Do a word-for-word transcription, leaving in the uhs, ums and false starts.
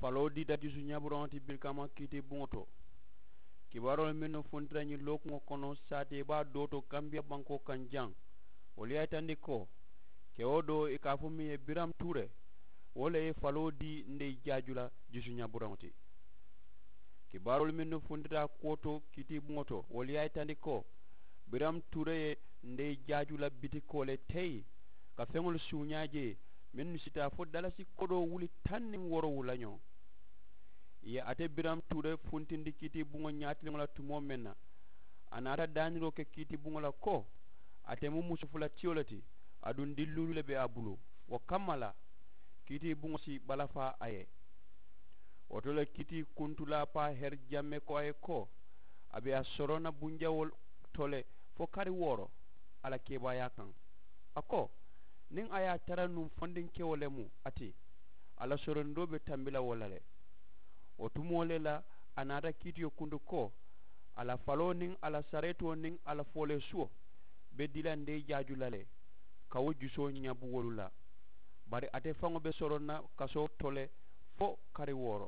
Faloo diita jusu ñaaburaŋo ti birikama kiitibuŋo to. Kibaaroolu mennu funtita ñiŋ lookuŋo kono saatee baa doo to kambiya bankoo kaŋ jaŋ, wolu ye a yitandi ko kewo doo i ka a fo miŋ ye biramu tuure, wo le ye faloo dii ndeye jaaju la jusu ñaaburaŋo ti. Kibaaroolu mennu funtita a kuwo to kiitibuŋo to wolu ye a yitandi ko biramu tuure ye ndeye jaaju la bitikoo le teyi ka feŋolu suuñaa jee mennu si taa fo dalasi kodoo wuli taŋ niŋ wooro wula ñoŋ. Ì ye ate biramu tuure funtindi kiitibuŋo ñaatiliŋo la tumoo meŋ na, a naata daaniroo ke kiitibuŋo la ko ate mu musu fula tiyo le ti, aduŋ dilluulu le be a bulu. Wo kamma la kiitibuŋo si balafaa a ye. Wo to le kiitikuntu laapaa heri jamme ko a ye ko a be a soroŋ na bunjawoo to le fo kari wooro a la keebaayaa kaŋ. A ko niŋ a ye a tara nuŋ fondinkewo le mu a ti, a la sorondoo be tambi la wo la le. Wo tumoo le la a naata kiitiyo kuntu ko a la faloo niŋ a la sareetoo niŋ a la fooleesuwo be dii la ndeye jaaju la le ka wo jusoo ñabu wolu la. Bari ate faŋo be soroŋ na kasoo to le fo kari wooro.